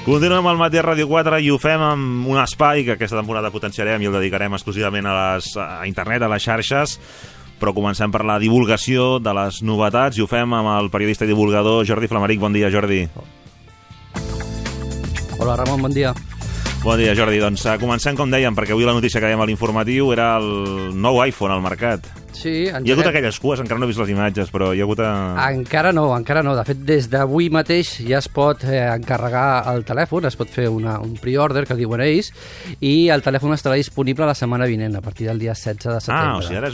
Continuem al Matí a Ràdio 4 i ho fem amb un espai que aquesta temporada potenciarem i el dedicarem exclusivament a internet, a les xarxes, però comencem per la divulgació de les novetats i ho fem amb el periodista i divulgador Jordi Flamaric. Bon dia, Jordi. Hola, Ramon, bon dia. Bon dia, Jordi. Doncs comencem, com dèiem, perquè avui la notícia que dèiem a l'informatiu era el nou iPhone al mercat. Sí, hi ha hagut aquelles cues, encara no he vist les imatges, però hi ha hagut... Encara no. De fet, des d'avui mateix ja es pot encarregar el telèfon, es pot fer un pre-order, que diuen ells, i el telèfon estarà disponible la setmana vinent, a partir del dia 16 de setembre. O sigui, ara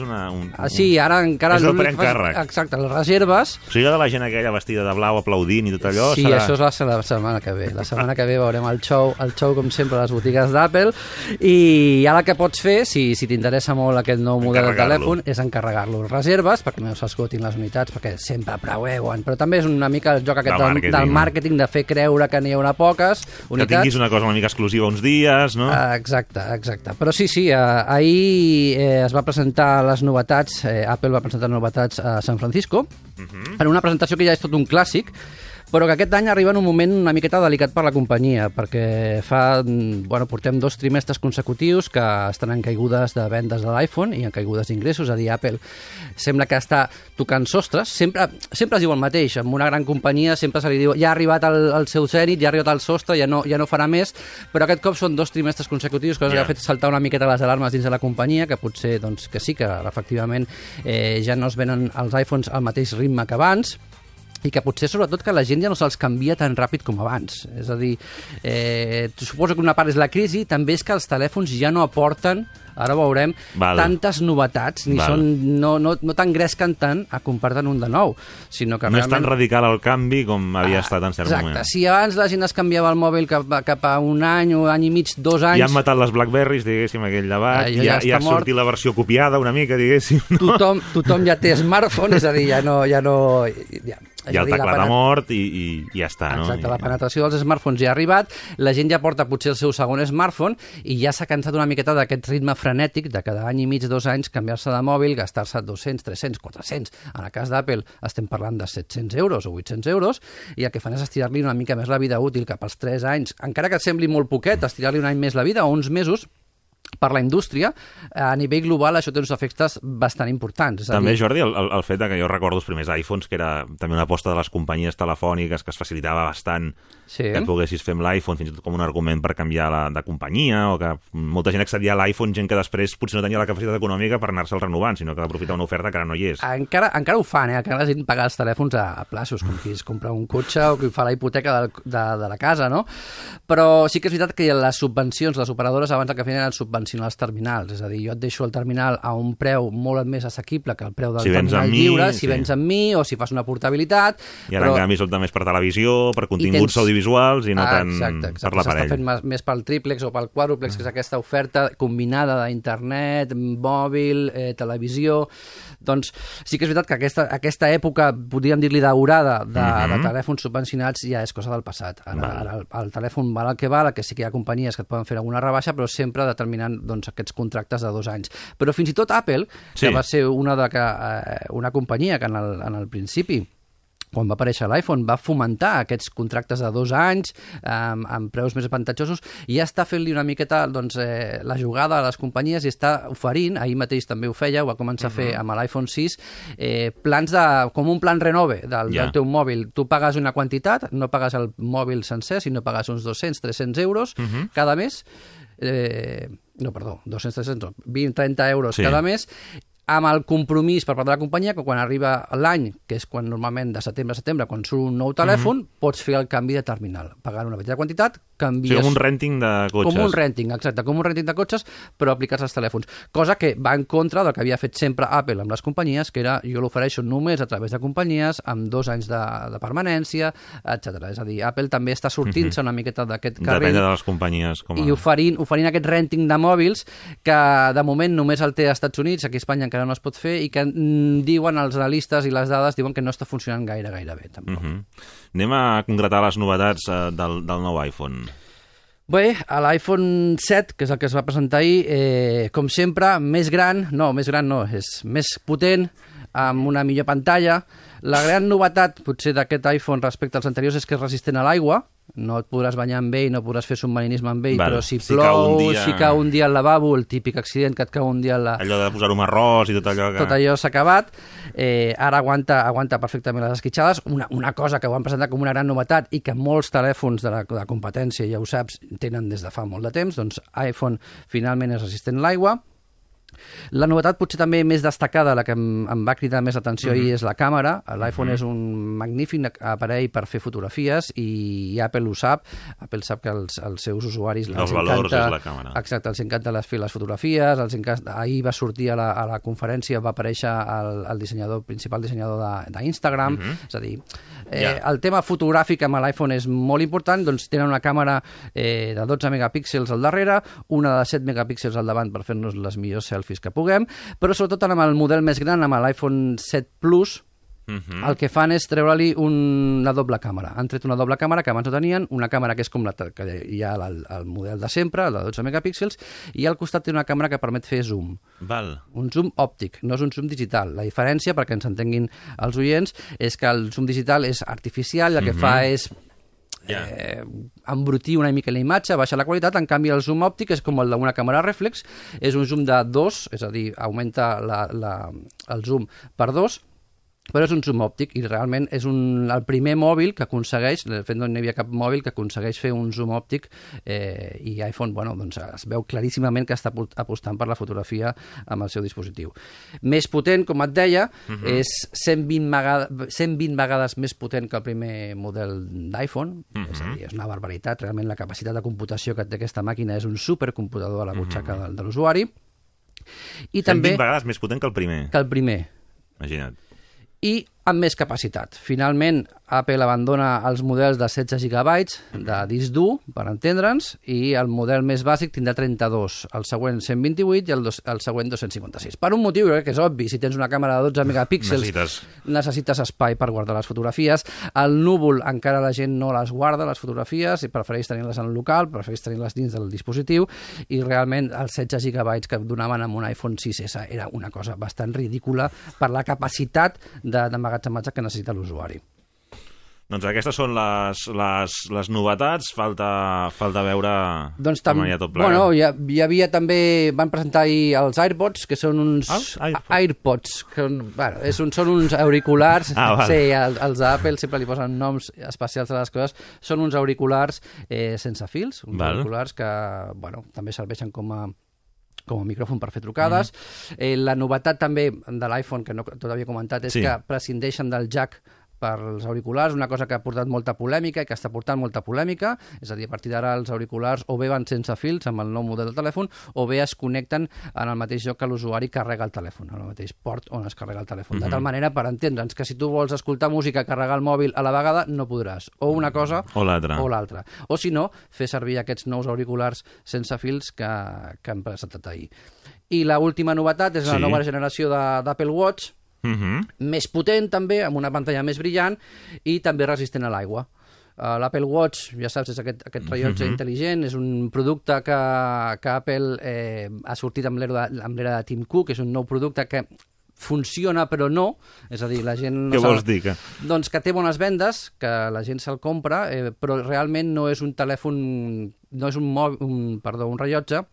és sí, ara encara... És el preencàrrec. Exacte, les reserves... O sigui, de la gent aquella vestida de blau aplaudint i tot allò... Sí, això és la setmana que ve. La setmana que ve veurem el show, com sempre, a les botigues d'Apple, i ara el que pots fer, si t'interessa molt aquest nou model de telèfon, és encarregar-lo. Reserves, perquè no s'esgotin les unitats, perquè sempre preveuen, però també és una mica el joc aquest del màrqueting, de fer creure que n'hi haurà poques unitats. Que tinguis una cosa una mica exclusiva uns dies, no? Exacte. Però sí, ahir es va presentar les novetats, Apple va presentar novetats a San Francisco, en una presentació que ja és tot un clàssic, però que aquest any arriba en un moment una miqueta delicat per la companyia, perquè portem 2 trimestres consecutius que estan en caigudes de vendes de l'iPhone i en caigudes d'ingressos, és a dir, Apple sembla que està tocant sostres, sempre es diu el mateix, amb una gran companyia sempre se li diu, ja ha arribat al seu zènit, ja ha arribat al sostre, ja no farà més, però aquest cop són 2 trimestres consecutius, cosa que ha fet saltar una miqueta les alarmes dins de la companyia, que potser, doncs, que sí, que efectivament ja no es venen els iPhones al mateix ritme que abans, i que potser, sobretot, que la gent ja no se'ls canvia tan ràpid com abans. És a dir, suposo que una part és la crisi, també és que els telèfons ja no aporten, ara ho veurem, tantes novetats, no t'engresquen tant a comprar-te'n un de nou, sinó que no és tan radical el canvi com havia estat en cert moment. Exacte, si abans la gent es canviava el mòbil cap a un any i mig, 2 anys... Ja han matat les BlackBerrys, diguéssim, aquell debat, ja ha sortit la versió copiada una mica, diguéssim. Tothom ja té smartphone, és a dir, ja el teclat ha mort i ja està, no? Exacte, la penetració dels smartphones ja ha arribat, la gent ja porta potser el seu segon smartphone i ja s'ha cansat una miqueta d'aquest ritme frenètic de cada any i mig, 2 anys, canviar-se de mòbil, gastar-se 200, 300, 400. En el cas d'Apple estem parlant de 700 euros o 800 euros i el que fan és estirar-li una mica més la vida útil cap als 3 anys. Encara que et sembli molt poquet, estirar-li un any més la vida o uns mesos, per la indústria, a nivell global això té uns efectes bastant importants. També, Jordi, el fet que jo recordo els primers iPhones, que era també una aposta de les companyies telefòniques que es facilitava bastant que poguessis fer amb l'iPhone, fins i tot com un argument per canviar de companyia, o que molta gent accedia a l'iPhone, gent que després potser no tenia la capacitat econòmica per anar-se'l renovant, sinó que d'aprofitar una oferta que ara no hi és. Encara ho fan, encara la gent paga els telèfons a plaços, com qui es compra un cotxe o qui fa la hipoteca de la casa, no? Però sí que és veritat que les subvencions, les operadores abans el que feien era subvencionar els terminals, és a dir, jo et deixo el terminal a un preu molt més assequible que el preu del terminal lliure, si vens amb mi o si fas una portabilitat. I ara, en canvi, són més per televisió, per continguts audiovisuals i no tant per l'aparell. S'està fent més pel triplex o pel quàdruplex, que és aquesta oferta combinada d'internet, mòbil, televisió. Doncs sí que és veritat que aquesta època, podríem dir-li daurada, de telèfons subvencionats ja és cosa del passat. Ara el telèfon val el que val, que sí que hi ha companyies que et poden fer alguna rebaixa, però sempre determinant aquests contractes de 2 anys. Però fins i tot Apple, que va ser una companyia que en el principi, quan va aparèixer l'iPhone, va fomentar aquests contractes de 2 anys amb preus més avantatjosos i ja està fent-li una miqueta la jugada a les companyies i està oferint, ahir mateix també ho feia, ho va començar a fer amb l'iPhone 6, plans com un plan renove del teu mòbil. Tu pagues una quantitat, no pagues el mòbil sencer, sinó pagues uns 200-300 euros cada mes, 20-30 euros cada mes, amb el compromís per part de la companyia que quan arriba l'any, que és quan normalment de setembre a setembre, quan surt un nou telèfon, pots fer el canvi de terminal, pagant una petita quantitat, canvies... com un renting de cotxes. Com un renting, exacte, com un renting de cotxes, però aplicats als telèfons. Cosa que va en contra del que havia fet sempre Apple amb les companyies, que era, jo l'ofereixo només a través de companyies, amb 2 anys de permanència, etc. És a dir, Apple també està sortint-se una miqueta d'aquest carril. Depèn de les companyies. I oferint aquest renting de mòbils, que de moment només el té als Estats Units, aquí a Espanya encara no es pot fer, i que diuen els analistes i les dades diuen que no està funcionant gaire bé, tampoc. Anem a concretar les novetats del nou iPhone. Bé, l'iPhone 7, que és el que es va presentar ahir, com sempre, més gran, és més potent, amb una millor pantalla. La gran novetat, potser, d'aquest iPhone respecte als anteriors és que és resistent a l'aigua, no et podràs banyar amb ell, no podràs fer submarinisme amb ell, però si plou, si cau un dia al lavabo, el típic accident que et cau un dia al allò de posar-ho amb arròs i tot allò que... Tot allò s'ha acabat. Ara aguanta perfectament les esquitxades. Una cosa que ho han presentat com una gran novetat i que molts telèfons de la competència, ja ho saps, tenen des de fa molt de temps, doncs iPhone finalment és resistent a l'aigua. La novetat potser també més destacada, la que em va cridar més l'atenció ahir, és la càmera. L'iPhone és un magnífic aparell per fer fotografies i Apple ho sap. Apple sap que els seus usuaris els valors és la càmera. Exacte, els encanta fer les fotografies, ahir va sortir a la conferència, va aparèixer el principal dissenyador d'Instagram, és a dir, el tema fotogràfic amb l'iPhone és molt important, doncs tenen una càmera de 12 megapíxels al darrere, una de 7 megapíxels al davant per fer-nos les millors selfies que puguem, però sobretot amb el model més gran, amb l'iPhone 7 Plus, el que fan és treure-li una doble càmera. Han tret una doble càmera que abans no tenien, una càmera que és com que hi ha el model de sempre, el de 12 megapíxels, i al costat té una càmera que permet fer zoom. Un zoom òptic, no és un zoom digital. La diferència, perquè ens entenguin els oients, és que el zoom digital és artificial, el que fa és embrutir una mica la imatge, baixa la qualitat. En canvi el zoom òptic és com el d'una càmera reflex, és un zoom de 2, és a dir, augmenta el zoom per 2, però és un zoom òptic i realment és el primer mòbil que aconsegueix, de fet no hi havia cap mòbil que aconsegueix fer un zoom òptic, i iPhone, doncs es veu claríssimament que està apostant per la fotografia amb el seu dispositiu. Més potent, com et deia, és 120 vegades més potent que el primer model d'iPhone, és a dir, és una barbaritat, realment la capacitat de computació que té aquesta màquina és un supercomputador a la butxaca de l'usuari. 120 vegades més potent que el primer. Imagina't. I amb més capacitat. Finalment, Apple abandona els models de 16 GB de disc dur, per entendre'ns, i el model més bàsic tindrà 32, el següent 128 i el següent 256. Per un motiu, crec que és obvi, si tens una càmera de 12 megapíxels, necessites espai per guardar les fotografies. Al núvol encara la gent no les guarda, les fotografies, i prefereix tenir-les en el local, prefereix tenir-les dins del dispositiu, i realment els 16 GB que donaven amb un iPhone 6S era una cosa bastant ridícula per la capacitat d'emmagatzematge que necessita l'usuari. Doncs aquestes són les novetats, falta veure com hi ha tot plegat. Bueno, hi havia també, van presentar ahir els AirPods, que són uns... AirPods, que són uns auriculars, sí, els d'Apple sempre li posen noms especials a les coses, són uns auriculars sense fils, uns auriculars que també serveixen com a micròfon per fer trucades. La novetat també de l'iPhone, que no tot havia comentat, és que prescindeixen del jack per als auriculars, una cosa que ha portat molta polèmica i que està portant molta polèmica, és a dir, a partir d'ara els auriculars o bé van sense fils amb el nou model del telèfon o bé es connecten en el mateix lloc que l'usuari carrega el telèfon, en el mateix port on es carrega el telèfon. De tal manera, per entendre'ns, que si tu vols escoltar música, carregar el mòbil a la vegada, no podràs. O una cosa o l'altra. O si no, fer servir aquests nous auriculars sense fils que han presentat ahir. I l'última novetat és la nova generació d'Apple Watch, més potent també, amb una pantalla més brillant i també resistent a l'aigua. L'Apple Watch, ja saps, és aquest rellotge intel·ligent, és un producte que Apple ha sortit amb l'era de Tim Cook, és un nou producte que funciona però no, és a dir, la gent... Què vols dir? Doncs que té bones vendes, que la gent se'l compra, però realment no és un telèfon, no és un rellotge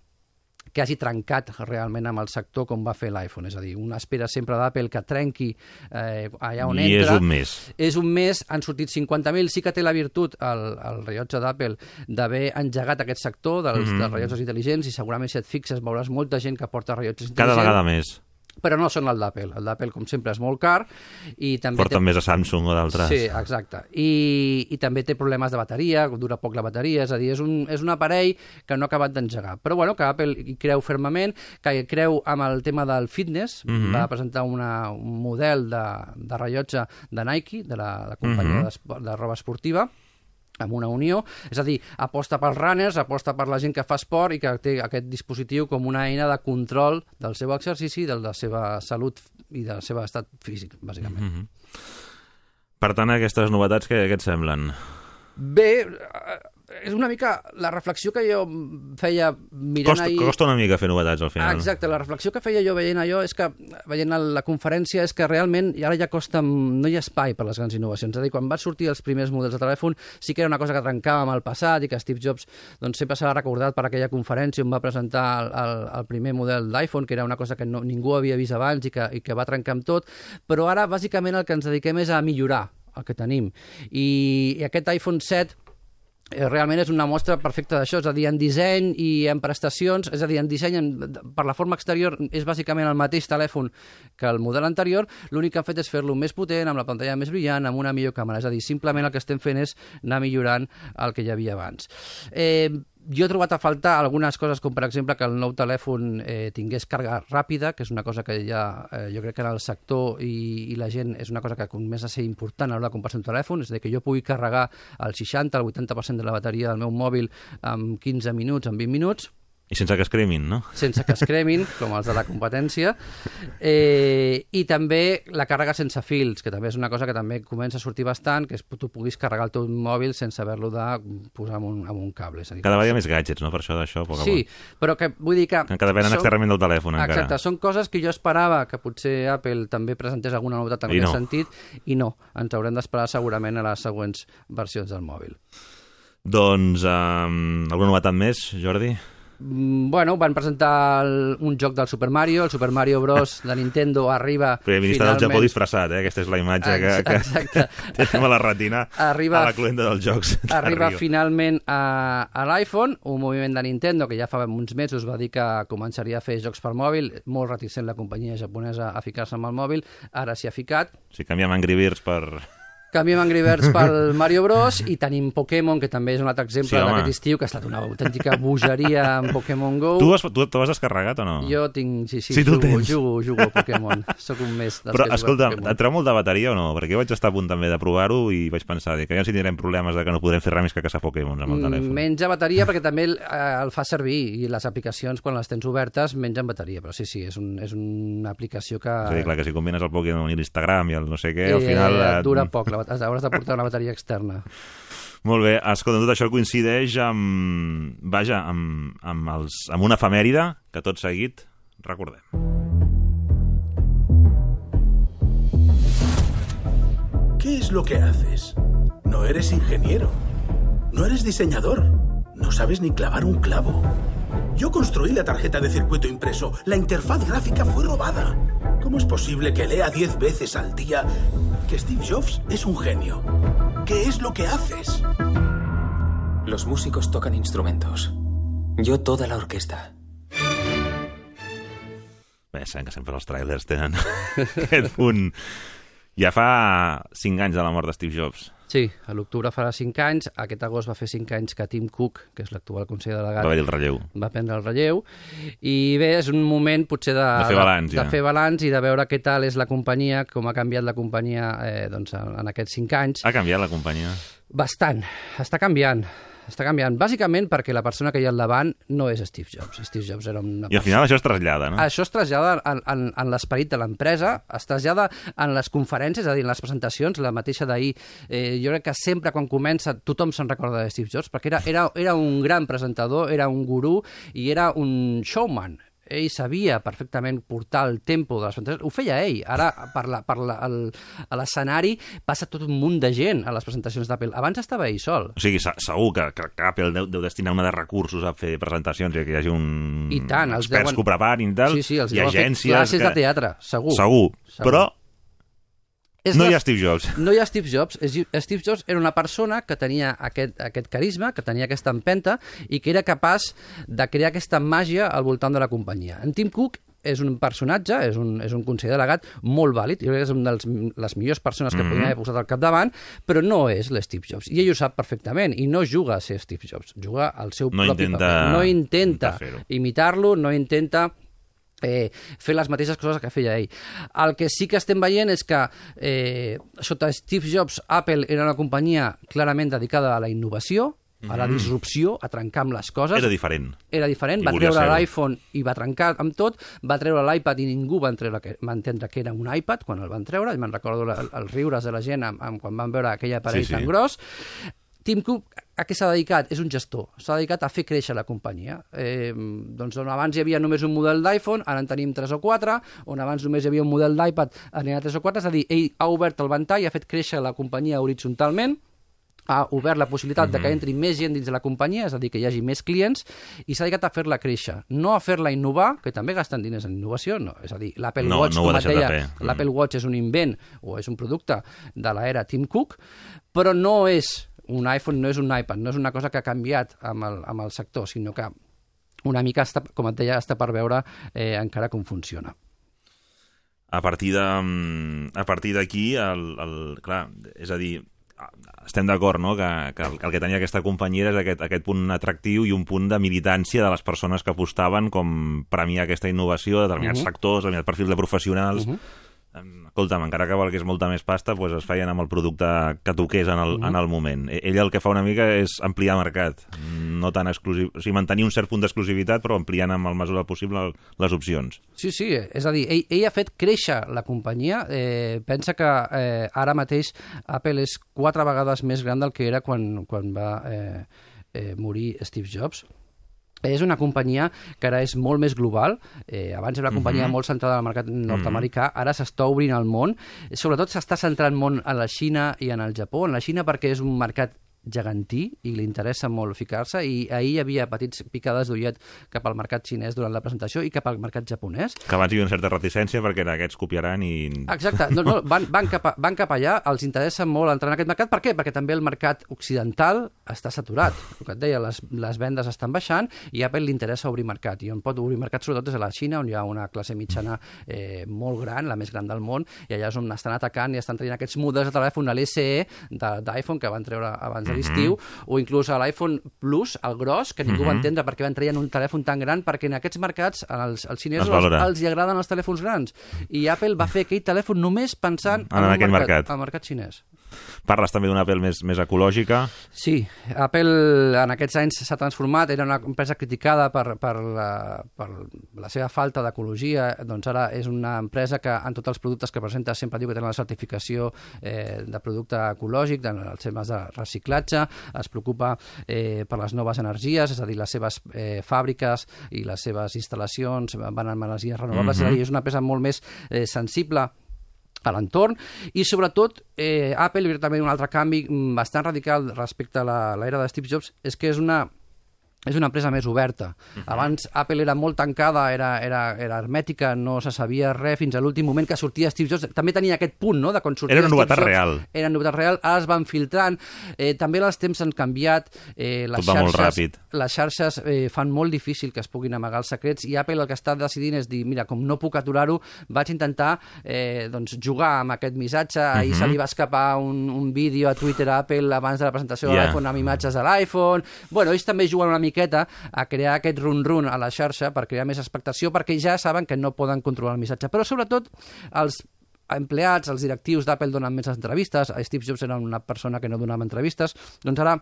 que hagi trencat realment amb el sector com va fer l'iPhone. És a dir, una espera sempre d'Apple que trenqui allà on entra. I és un mes. És un mes, han sortit 50.000. Sí que té la virtut, el rellotge d'Apple, d'haver engegat aquest sector dels rellotges intel·ligents, i segurament si et fixes veuràs molta gent que porta rellotges intel·ligents. Cada vegada més. Però no són el d'Apple. El d'Apple, com sempre, és molt car. I també porten més a Samsung o d'altres. Sí, exacte. I també té problemes de bateria, dura poc la bateria, és a dir, és un aparell que no ha acabat d'engegar. Però bueno, que Apple hi creu fermament, que creu amb el tema del fitness, va presentar un model de rellotge de Nike, de la companyia de roba esportiva, amb una unió, és a dir, aposta pels runners, aposta per la gent que fa esport i que té aquest dispositiu com una eina de control del seu exercici, de la seva salut i del seu estat físic, bàsicament. Per tant, aquestes novetats, què et semblen? Bé, és una mica la reflexió que jo feia mirant ahir... Costa una mica fer novetats al final. Exacte, la reflexió que feia jo veient allò és que, veient la conferència, és que realment ara ja costa... no hi ha espai per les grans innovacions. És a dir, quan van sortir els primers models de telèfon sí que era una cosa que trencava amb el passat i que Steve Jobs doncs, sempre s'ha recordat per aquella conferència on va presentar el primer model d'iPhone, que era una cosa que ningú havia vist abans i que va trencar amb tot, però ara bàsicament el que ens dediquem és a millorar el que tenim. I aquest iPhone 7 realment és una mostra perfecta d'això, és a dir, en disseny i en prestacions, és a dir, en disseny per la forma exterior és bàsicament el mateix telèfon que el model anterior, l'únic que han fet és fer-lo més potent, amb la pantalla més brillant, amb una millor càmera, és a dir, simplement el que estem fent és anar millorant el que hi havia abans. Jo he trobat a faltar algunes coses, com per exemple que el nou telèfon tingués càrrega ràpida, que és una cosa que ja jo crec que en el sector i la gent és una cosa que comença a ser important a l'hora de comprar un telèfon, és a dir, que jo pugui carregar el 60, el 80% de la bateria del meu mòbil en 15 minuts, en 20 minuts. I sense que es cremin, no? Sense que es cremin, com els de la competència. I també la càrrega sense fils, que també és una cosa que també comença a sortir bastant, que és que tu puguis carregar el teu mòbil sense haver-lo de posar amb un cable. És a dir, cada vegada més gadgets, no? Per això d'això, poc a poc. Sí, però que vull dir que... Que depenen externament del telèfon, encara. Exacte, són coses que jo esperava que potser Apple també presentés alguna novetat en aquest sentit, i no, ens haurem d'esperar segurament a les següents versions del mòbil. Doncs, alguna novetat més, Jordi? Bueno, van presentar un joc del Super Mario, el Super Mario Bros. De Nintendo arriba Primer ministre del Japó disfressat, Aquesta és la imatge que tenim a la retina, a la cluenda dels jocs. Arriba finalment a l'iPhone, un moviment de Nintendo que ja fa uns mesos va dir que començaria a fer jocs per mòbil, molt reticent la companyia japonesa a ficar-se amb el mòbil, ara s'hi ha ficat. Si canviem Angry Birds per... Canviem Angry Birds pel Mario Bros. I tenim Pokémon, que també és un altre exemple d'aquest estiu, que ha estat una autèntica bogeria en Pokémon GO. Tu ho has descarregat o no? Jo tinc, sí, jugo a Pokémon. Soc un mes dels Però, escolta, et treu molt de bateria o no? Perquè jo vaig estar a punt també de provar-ho i vaig pensar que ja si tindrem problemes de que no podrem fer res més que caçar Pokémon amb el telèfon. Menja bateria perquè també el fa servir i les aplicacions, quan les tens obertes, mengen bateria. Però sí, és una aplicació que... És a dir, clar, que si combines el Pokémon i l'Instagram i el no sé què, al final... Dura poc, hauràs de portar una bateria externa. Molt bé, escolta, tot això coincideix amb una efemèride que tot seguit recordem. ¿Qué es lo que haces? No eres ingeniero, no eres diseñador, no sabes ni clavar un clavo. Yo construí la tarjeta de circuito impreso, la interfaz gráfica fue robada. ¿Cómo es posible que lea 10 veces al día que Steve Jobs es un genio? ¿Qué es lo que haces? Los músicos tocan instrumentos. Yo toda la orquesta. Bé, sabem que sempre els tràilers tenen aquest punt. Ja fa 5 anys de la mort de Steve Jobs. Sí, a l'octubre farà 5 anys, aquest agost va fer 5 anys que Tim Cook, que és l'actual conseller delegat, va prendre el relleu, i bé, és un moment potser de fer balanç i de veure què tal és la companyia, com ha canviat la companyia doncs, en aquests 5 anys. Ha canviat la companyia? Bastant, està canviant, bàsicament perquè la persona que hi ha al davant no és Steve Jobs. Steve Jobs era una persona... I al final això es trasllada, no? Això es trasllada en l'esperit de l'empresa, es trasllada en les conferències, és a dir, en les presentacions, la mateixa d'ahir. Jo crec que sempre quan comença tothom se'n recorda de Steve Jobs, perquè era un gran presentador, era un gurú i era un showman. Ell sabia perfectament portar el tempo de les presentacions. Ho feia ell. Ara, a l'escenari, passa tot un munt de gent a les presentacions d'Apple. Abans estava ell sol. O sigui, segur que Apple deu destinar una de recursos a fer presentacions i que hi hagi experts que ho preparin i tal, i agències... Classes de teatre, segur. Segur. Però... No hi ha Steve Jobs. No hi ha Steve Jobs. Steve Jobs era una persona que tenia aquest carisma, que tenia aquesta empenta i que era capaç de crear aquesta màgia al voltant de la companyia. En Tim Cook és un personatge, és un conseller delegat molt vàlid, jo crec que és una de les millors persones que podien haver posat al capdavant, però no és l'Steve Jobs. I ell ho sap perfectament, i no juga a ser Steve Jobs, juga al seu propi paper. No intenta imitar-lo, no intenta... fer les mateixes coses que feia ell. El que sí que estem veient és que sota Steve Jobs, Apple era una companyia clarament dedicada a la innovació, a la disrupció, a trencar amb les coses. Era diferent. Va treure l'iPhone i va trencar amb tot, va treure l'iPad i ningú va entendre que era un iPad quan el van treure, i me'n recordo els riures de la gent quan van veure aquell aparell tan gros. Tim Cook a què s'ha dedicat? És un gestor. S'ha dedicat a fer créixer la companyia. Doncs on abans hi havia només un model d'iPhone, ara en tenim 3 o 4, on abans només hi havia un model d'iPad, ara n'hi ha 3 o 4, és a dir, ell ha obert el ventall, ha fet créixer la companyia horitzontalment, ha obert la possibilitat de que entri més gent dins de la companyia, és a dir, que hi hagi més clients, i s'ha dedicat a fer-la créixer, no a fer-la innovar, que també gasten diners en innovació, no. És a dir, l'Apple Watch, com et deia, l'Apple Watch és un invent o és un producte de l'era Tim Cook, però no és un iPhone, no és un iPad, no és una cosa que ha canviat amb el sector, sinó que una mica, com et deia, està per veure encara com funciona. A partir d'aquí, clar, és a dir, estem d'acord, no?, que el que tenia aquesta companyia és aquest punt atractiu i un punt de militància de les persones que apostaven com premiar aquesta innovació de determinats sectors, determinats perfils de professionals. Escolta'm, encara que valgués molta més pasta, doncs es feien amb el producte que toqués en el moment. Ell el que fa una mica és ampliar mercat, no tan exclusiu, o sigui, mantenir un cert punt d'exclusivitat, però ampliant amb el mesura possible les opcions. Sí, és a dir, ell ha fet créixer la companyia. Pensa que ara mateix Apple és 4 vegades més gran del que era quan va morir Steve Jobs. És una companyia que ara és molt més global. Abans era una companyia molt centrada en el mercat nord-americà, ara s'està obrint al món. Sobretot s'està centrant molt en la Xina i en el Japó. En la Xina perquè és un mercat gegantí i li interessa molt ficar-se, i ahir hi havia petits picades d'ullet cap al mercat xinès durant la presentació i cap al mercat japonès. Que abans hi havia una certa reticència perquè aquests copiaran i... Exacte, van cap allà, els interessa molt entrar en aquest mercat. Per què? Perquè també el mercat occidental està saturat. El que et deia, les vendes estan baixant i a Apple li interessa obrir mercat, i on pot obrir mercat sobretot és a la Xina, on hi ha una classe mitjana molt gran, la més gran del món, i allà és on estan atacant i estan traient aquests models de telèfon, l'SE d'iPhone que van treure abans de l'estiu, o inclús a l'iPhone Plus, el gros, que ningú va entendre perquè van traient un telèfon tan gran, perquè en aquests mercats als xinesos els agraden els telèfons grans, i Apple va fer aquell telèfon només pensant en el mercat xinès. Parles també d'una Apple més ecològica. Sí, Apple en aquests anys s'ha transformat, era una empresa criticada per la seva falta d'ecologia, doncs ara és una empresa que en tots els productes que presenta sempre diu que tenen la certificació de producte ecològic, dels temes de reciclatge, es preocupa per les noves energies, és a dir, les seves fàbriques i les seves instal·lacions van amb energies renovables, és a dir, és una empresa molt més sensible a l'entorn, i sobretot Apple, també un altre canvi bastant radical respecte a l'era de Steve Jobs, és que és una empresa més oberta. Abans Apple era molt tancada, era hermètica, no se sabia res fins a l'últim moment que sortia Steve Jobs. També tenia aquest punt, no?, de quan sortia Steve Jobs. Era una novetat real, ara es van filtrant. També els temps han canviat. Tot va molt ràpid. Les xarxes fan molt difícil que es puguin amagar els secrets, i Apple el que està decidint és dir, mira, com no puc aturar-ho, vaig intentar jugar amb aquest missatge. Ahir se li va escapar un vídeo a Twitter a Apple abans de la presentació de l'iPhone amb imatges de l'iPhone. Bueno, ells també juguen una miqueta a crear aquest run-run a la xarxa per crear més expectació, perquè ja saben que no poden controlar el missatge. Però sobretot els empleats, els directius d'Apple donen més entrevistes. Steve Jobs era una persona que no donava entrevistes, doncs ara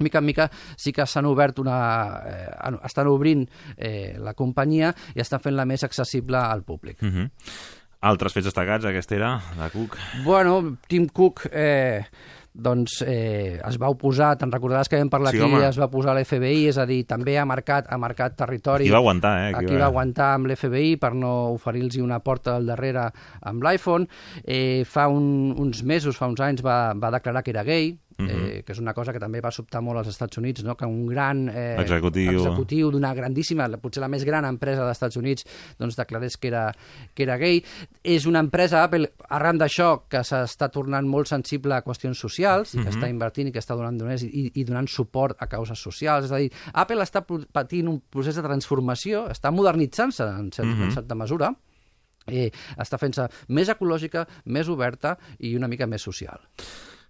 mica en mica sí que estan obrint la companyia i estan fent-la més accessible al públic. Altres fets destacats, aquesta era, de Cook? Bueno, Tim Cook es va oposar, te'n recordaràs que vam parlar aquí, es va oposar a l'FBI, és a dir, també ha marcat territori. Aquí va aguantar, Aquí va aguantar amb l'FBI per no oferir-los una porta al darrere amb l'iPhone. Fa uns mesos, fa uns anys, va declarar que era gay, que és una cosa que també va sobtar molt als Estats Units, no?, que un gran executiu d'una grandíssima, potser la més gran empresa dels Estats Units, doncs declarés que era gay. És una empresa, Apple, arran d'això, que s'està tornant molt sensible a qüestions socials, i que està invertint i que està donant diners i donant suport a causes socials. És a dir, Apple està patint un procés de transformació, està modernitzant-se en certa mesura, està fent-se més ecològica, més oberta i una mica més social.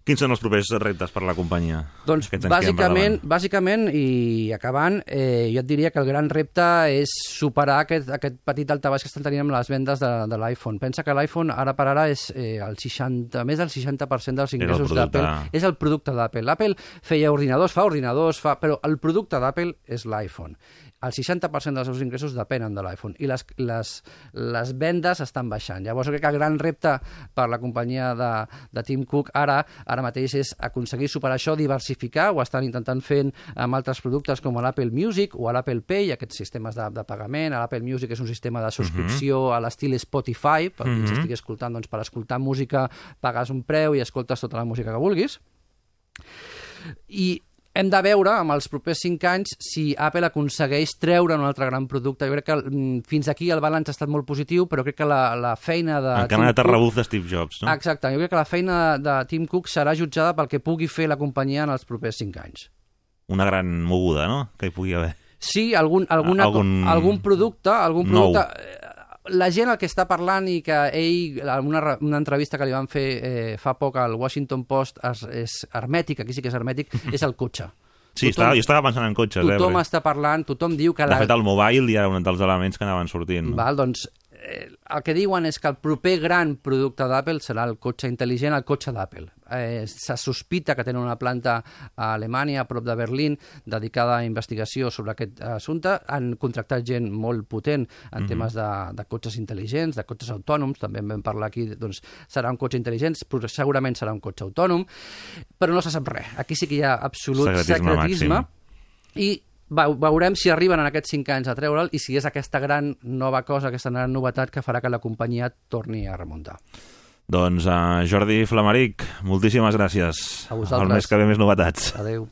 Quins són els propers reptes per a la companyia? Doncs bàsicament, i acabant, jo et diria que el gran repte és superar aquest petit daltabaix que estan tenint amb les vendes de l'iPhone. Pensa que l'iPhone ara per ara és més del 60% dels ingressos d'Apple. És el producte d'Apple. Apple feia ordinadors, però el producte d'Apple és l'iPhone. El 60% dels seus ingressos depenen de l'iPhone i les vendes estan baixant. Llavors, crec que el gran repte per la companyia de Tim Cook ara ara mateix és aconseguir superar això, diversificar, ho estan intentant fent amb altres productes com l'Apple Music o l'Apple Pay, aquests sistemes de pagament. L'Apple Music és un sistema de subscripció a l'estil Spotify, per qui estigui escoltant, doncs per escoltar música pagues un preu i escoltes tota la música que vulguis. I hem de veure, amb els propers 5 anys, si Apple aconsegueix treure un altre gran producte. Jo crec que fins aquí el balanç ha estat molt positiu, però crec que la feina de... Encara no té rebuf de Steve Jobs, no? Exacte. Jo crec que la feina de Tim Cook serà jutjada pel que pugui fer la companyia en els propers 5 anys. Una gran moguda, no?, que hi pugui haver. Sí, algun producte... La gent el que està parlant i que ell, en una entrevista que li van fer fa poc al Washington Post, és hermètic, aquí sí que és hermètic, és el cotxe. Sí, jo estava pensant en cotxes. Tothom està parlant, tothom diu que... De fet, el mobile ja era un dels elements que anaven sortint. Val, doncs, el que diuen és que el proper gran producte d'Apple serà el cotxe intel·ligent, el cotxe d'Apple. Se sospita que tenen una planta a Alemanya, a prop de Berlín, dedicada a investigació sobre aquest assumpte. Han contractat gent molt potent en temes de cotxes intel·ligents, de cotxes autònoms, també en vam parlar aquí, doncs serà un cotxe intel·ligent, segurament serà un cotxe autònom, però no se sap res. Aquí sí que hi ha absolut secretisme i veurem si arriben en aquests 5 anys a treure'l i si és aquesta gran nova cosa, aquesta gran novetat que farà que la companyia torni a remuntar. Doncs Jordi Flamaric, moltíssimes gràcies. A vosaltres. El mes que ve més novetats. Adéu.